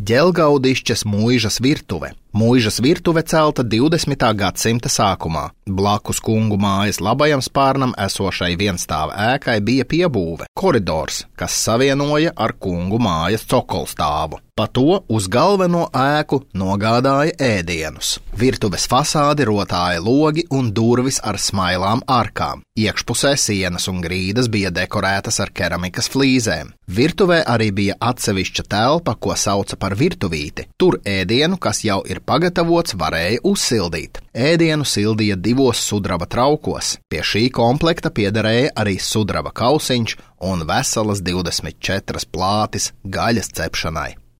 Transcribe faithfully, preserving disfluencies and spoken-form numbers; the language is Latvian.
Ģelgaudišķes mūižas virtuve. Mūižas virtuve celta divdesmitā gadsimta sākumā. Blakus kungu mājas labajam spārnam esošai vienstāva ēkai bija piebūve – koridors, kas savienoja ar kungu mājas cokolstāvu. Pa to uz galveno ēku nogādāja ēdienus. Virtuves fasādi rotāja logi un durvis ar smailām arkām. Iekšpusē sienas un grīdas bija dekorētas ar keramikas flīzēm. Virtuvē arī bija atsevišķa telpa, ko sauca par virtuvīti. Tur ēdienu, kas jau ir pagatavots, varēja uzsildīt. Ēdienu sildīja divos sudraba traukos. Pie šī komplekta piederēja arī sudraba kausiņš un veselas divdesmit četras plātis gaļas cepšanai.